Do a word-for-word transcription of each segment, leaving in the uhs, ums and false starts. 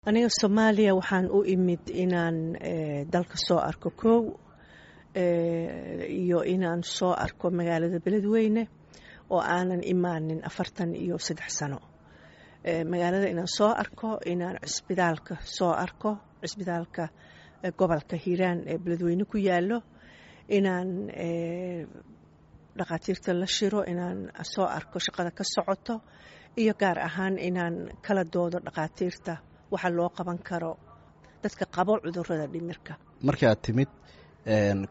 Aniga Soomaaliya waxaan u imid inaan dalka soo arko kow, iyo inaan soo arko magaalada Beledweyne oo aanan imaanin afartan iyo saddex sano. Magaalada inaan soo arko, inaan cisbitaalka soo arko, cisbitaalka gobolka Hiiraan ee Beledweyne ku yaalo, inaan dhakhaatiirta la shiro, inaan soo arko shaqada ka socoto, iyo gaar ahaan inaan kala doodo dhakhaatiirta waxa loo qaban karo dadka qabo cudurada dhimirka. Markii aad timid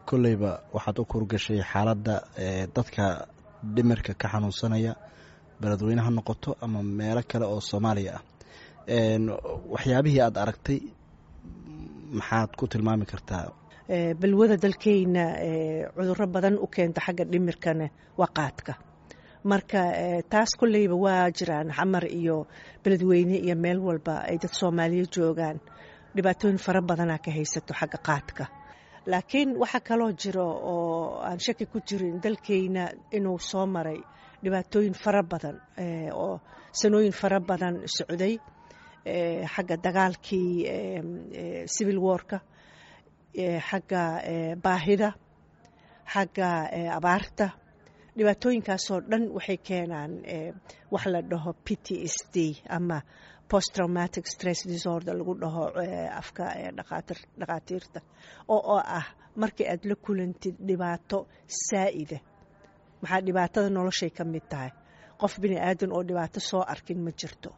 kolleyba waxaad u kurgashay xaaladda dadka dhimirka ka xanuunsanaya, Beledweyne ha noqoto ama meelo kale oo Soomaaliya ah. Waxyaabihii aad aragtay maxaad ku tilmaami kartaa? Balwada dalkeyna cuduro badan u keenta xagga dhimirkana waa qaadka. Marka taas kolleyba waa jiraan Xamar iyo Beledweyne iyo meel walba ay dad Soomaaliya joogaan, dhibaatooyin fara badanaa ka haysato xagga qaadka. Laakiin waxaa kaloo jiro oo aan shaki ku jirin dalkeyna inuu soo maray dhibaatooyin fara badan oo sanooyin fara badan socday, xagga dagaalkii civil warka, xagga baahida, xagga abaarta. Dhibaatooyinkaasoo dhan waxay keenaan wax la dhaho P T S D ama post traumatic stress disorder lagu dhaho afka dhakhaatiirta, oo oo ah markii aad la kulantid dhibaato saa'ida. Maxaa dhibaatada noloshay ka mid tahay, qof bini aadan oo dhibaato soo arkin ma jirto,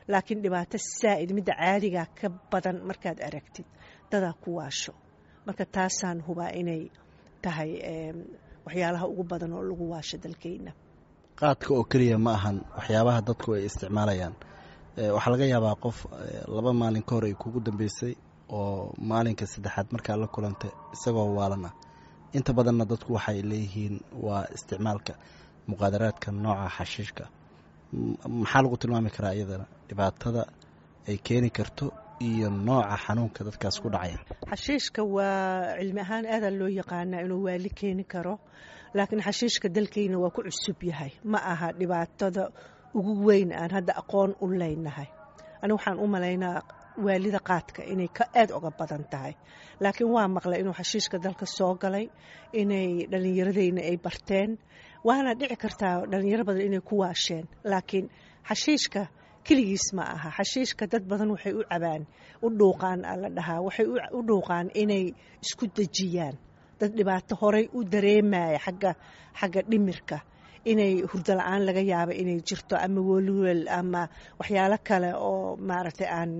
laakiin dhibaato saa'id midda caadigaa ka badan markaad aragtid dadaa ku waasho. Marka taasaan hubaa inay tahay waxyaalaha ugu badan oo lagu waasho dalkeyna. Qaadka oo keliya ma ahan waxyaabaha dadku ay isticmaalayaan. Waxaa laga yaabaa qof laba maalin ka hor ay kugu dambeysay oo maalinka saddexaad markaa la kulantay isagoo waalan ah. Inta badanna dadku waxay leeyihiin waa isticmaalka muqaadaraadka nooca xashiishka. Maxaa lagu tilmaami karaa iyadana dhibaatada ay keeni karto iyo nooca xanuunka dadkaas ku dhacaya? Xashiishka waa cilmi ahaan aadaa loo yaqaanaa inuu waali keeni karo, laakiin xashiishka dalkeyna waa ku cusub yahay. Ma aha dhibaatada ugu weyn aan hadda aqoon u leynahay. Ani waxaan u malaynaa waalida qaadka inay ka aad uga badan tahay, laakiin waa maqlay inuu xashiishka dalka soo galay, inay dhallinyaradeyna ay barteen, waana dhici kartaa dhalinyaro badan inay ku waasheen. Laakiin xashiishka keligiis ma aha. Xashiishka dad badan waxay u cabaan, u dhuuqaan la dhahaa, waxay u dhuuqaan inay isku dejiyaan. Dad dhibaato horey u dareemaya xagga xagga dhimirka, inay hurdo la-aan laga yaabo inay jirto, ama welwel ama waxyaalo kale oo maaragtay aan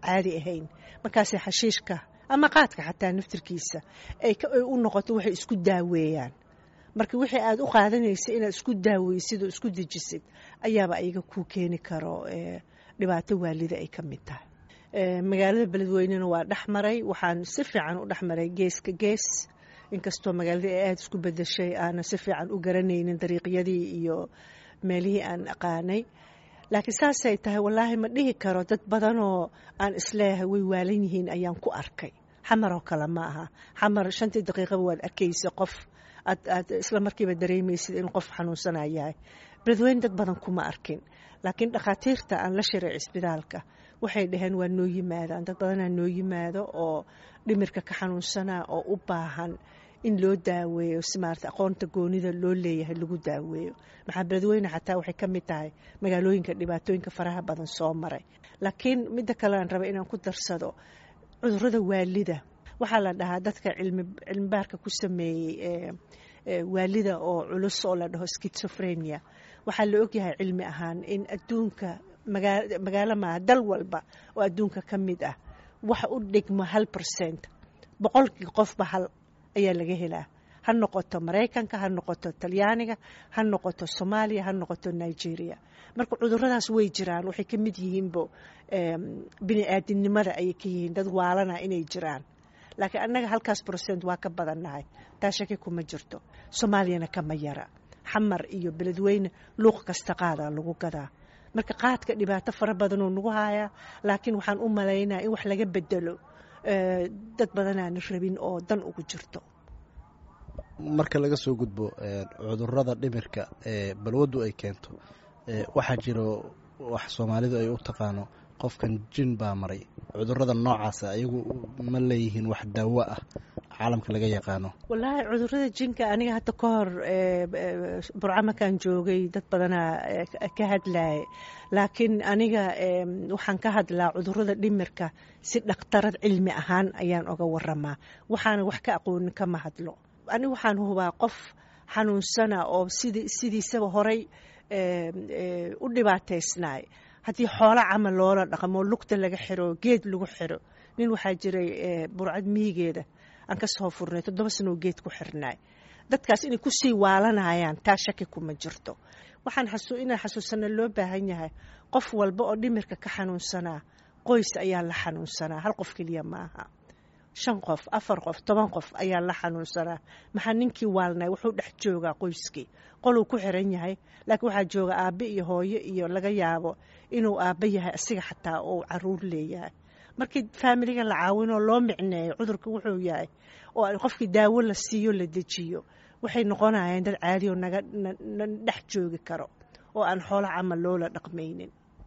caadi ahayn, markaasay xashiishka ama qaadka xataa naftirkiisa ay u noqoto waxay isku daaweeyaan. Marka wixii aad u qaadanaysa inaad isku daaweysid oo isku dejisid ayaaba ayaga kuu keeni karo dhibaato waalida ay ka mid tahay. Magaalada Beledweynena waa dhex maray, waxaan si fiican u dhex maray geeska gees, inkastoo magaalada ay aada isku bedeshay aanan si fiican u garanaynin dariiqyadii iyo meelihii aan aqaanay. Laakiin saasay tahay, wallaahi ma dhihi karo dad badanoo aan isleeyahay way waalan yihiin ayaan ku arkay. Xamar oo kale ma aha. Xamar shantii daqiiqaba waad arkaysa qof aad aad isla markiiba dareemaysid in qof xanuunsanaa yahay. Beledweyne dad badan kuma arkin, laakiin dhakhaatiirta aan la shiray cisbitaalka waxay dhaheen waa noo yimaadaan dad badanaa noo yimaado oo dhimirka ka xanuunsanaa oo u baahan in loo daaweeyo si maarata aqoonta goonida loo leeyahay lagu daaweeyo. Maxaa Beledweyne xataa waxay ka mid tahay magaalooyinka dhibaatooyinka faraha badan soo maray. Laakiin midda kale aan raba inaan ku darsado cudurada waalida, waxaa la dhahaa dadka cilmi cilmibaarka ku sameeyey waalida oo culus oo la dhaho schizophrenia, waxaa la ogyahay cilmi ahaan in adduunka magaa magaalo maaha dal walba oo adduunka ka mid ah waxa u dhigmo hal percent, boqolkii qofba hal ayaa laga helaa. Ha noqoto Maraykanka, ha noqoto Talyaaniga, ha noqoto Soomaaliya, ha noqoto Nigeria. Marka cuduradaas way jiraan, waxay ka mid yihiinbo bini aadinimada ayay ka yihiin dad waalana inay jiraan. Laakiin annaga halkaas percent waa ka badannahay, taa shaki kuma jirto. Soomaaliyana kama yara. Xamar iyo Beledweyne luuq kasta qaadaa lagu gadaa. Marka qaadka dhibaato fara badanoo nagu hayaa, laakiin waxaan u malaynaa in wax laga bedelo dad badanaana rabin oo dan ugu jirto. Marka laga soo gudbo cudurada dhimirka ee balwaddu ay keento, waxaa jiro wax Soomaalidu ay u taqaano Qofkan jin baa maray. Cudurrada noocaasa ayagu ma leeyihiin wax daawo ah caalamka laga yaqaano? Wallaahi, cudurrada jinka aniga hadda ka hor Burco markaan joogay dad badanaa ka hadlaaya, laakiin aniga waxaan ka hadlaa cudurrada dhimirka si dhakhtarad cilmi ahaan ayaan oga waramaa. Waxaana wax ka aqoonin kama hadlo. Aniga waxaan hubaa qof xanuunsana oo sid sidiisaba horay u dhibaataysnaay, haddii xoolo camal loola dhaqmo, lugta laga xiro, geed lagu xiro. Nin waxaa jiray Burcad miyigeeda aan ka soo furnay, toddoba sanoo geed ku xirnaay. Dadkaas inay kusii waalanayaan taa shaki kuma jirto. Waxaan inaan xasuusana loo baahan yahay, qof walba oo dhimirka ka xanuunsanaa qoys ayaa la xanuunsanaa. Hal qof keliya maaha, shan qof, afar qof, toban qof ayaa la xanuunsanaa. Maxaa ninkii waalnay wuxuu dhex joogaa qoyskii, qoluu ku xiran yahay, laakiin waxaa jooga aabbe iyo hooyo, iyo laga yaabo inuu aabbe yahay asiga xataa oo caruur leeyahay. Markii faamiliga la caawinoo loo micneeyo cudurka wuxuu yahay oo qofkii daawo la siiyo, la dejiyo, waxay noqonayaan dad caadi oo naga na dhex joogi karo oo aan xoolo camal loola dhaqmaynin.